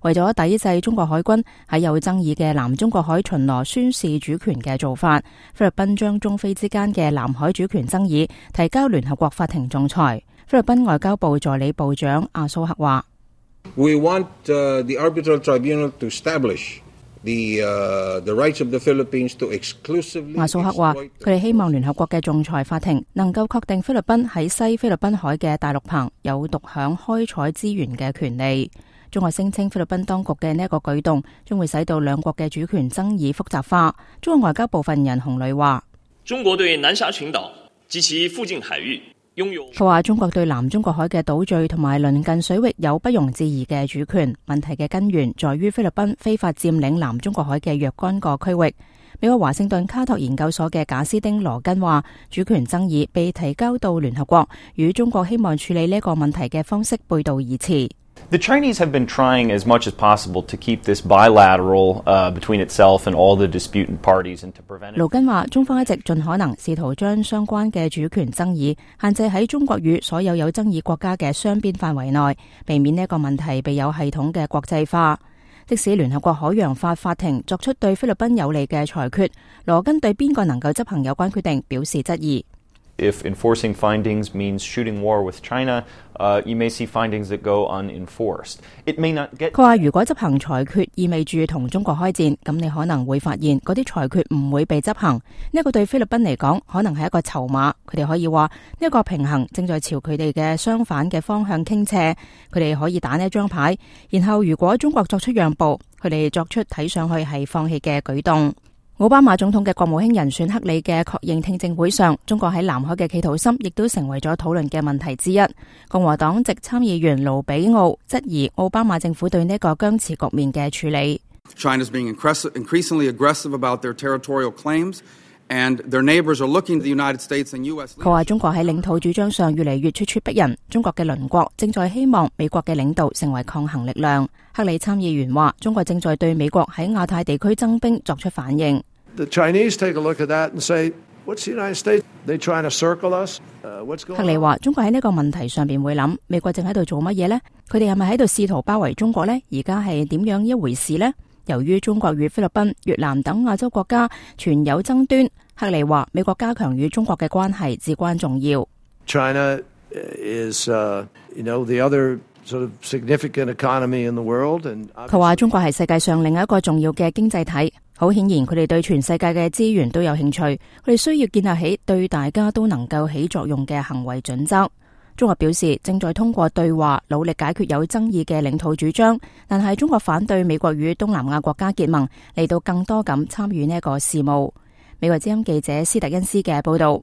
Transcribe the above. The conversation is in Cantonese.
為咗抵制中國海軍喺有爭議嘅南中國海巡邏宣示主權嘅做法，菲律賓將中菲之間嘅南海主權爭議提交聯合國法庭仲裁。菲律賓外交部助理部長阿蘇克話：We want the arbitral tribunal to establish the rights of the Philippines to exclusively。阿蘇克話：佢哋希望聯合國嘅仲裁法庭能夠確定菲律賓喺西菲律賓海嘅大陸棚有獨享開採資源嘅權利。中國聲稱菲律賓當局嘅呢一個舉動將會使到兩國嘅主權爭議複雜化。中國外交部發言人洪磊話：中國對南沙群島及其附近海域擁有。佢話中國對南中國海嘅島嶼同埋鄰近水域有不容置疑嘅主權，問題嘅根源在於菲律賓非法佔領南中國海嘅若干個區域。美國華盛頓卡托研究所嘅賈斯丁羅根話，主權爭議被提交到聯合國，與中國希望處理呢個問題嘅方式背道而馳。The Chinese have been trying as much as possible to keep this bilateral between itself and all the disputant parties and to prevent it. 盧根話，中方一直盡可能試圖將相關嘅主權爭議限制喺中國與所有有爭議國家嘅雙邊範圍內，避免呢個問題被有系統嘅國際化。即使聯合國海洋法法庭作出對菲律賓有利嘅裁決，羅根對邊個能夠執行有關決定表示質疑。If enforcing findings means shooting war with China, you may see findings that go unenforced. It may not get. 佢話：如果執行裁決意味住同中國開戰，咁你可能會發現嗰啲裁決唔會被執行。呢一個對菲律賓嚟講，可能係一個籌碼。佢哋可以話呢一個平衡正在朝佢哋嘅相反嘅方向傾斜。佢哋可以打呢一張牌，然後如果中國作出讓步，佢哋作出睇上去係放棄嘅舉動。奧巴馬總統嘅國務卿人選克里嘅確認聽證會上，中國喺南海嘅企圖心亦都成為咗討論嘅問題之一。共和黨籍參議員盧比奧質疑奧巴馬政府對呢個僵持局面嘅處理。China's being increasingly aggressive about their territorial claims, and their neighbors are looking to the United States and U.S. 佢話中國喺領土主張上越嚟越咄咄逼人，中國嘅鄰國正在希望美國嘅領導成為抗衡力量。克里參議員話，中國正在對美國喺亞太地區增兵作出反應。The Chinese take a look at that and say, "What's the United States? They trying to circle us? What's going on?" 克里話：中國喺呢個問題上邊會諗，美國正喺度做乜嘢呢？佢哋係咪喺度試圖包圍中國呢？而家係點樣一回事呢？由於中國與菲律賓、越南等亞洲國家存有爭端，克里話美國加強與中國嘅關係至關重要。China is, the other sort of significant economy in the world, and 佢話中國係世界上另一個重要嘅經濟體。好顯然，佢哋對全世界嘅資源都有興趣，佢哋需要建立起對大家都能夠起作用嘅行為準則。中國表示正在通過對話努力解決有爭議嘅領土主張，但係中國反對美國與東南亞國家結盟，嚟到更多咁參與呢一個事務。美國之音記者斯特恩斯嘅報道。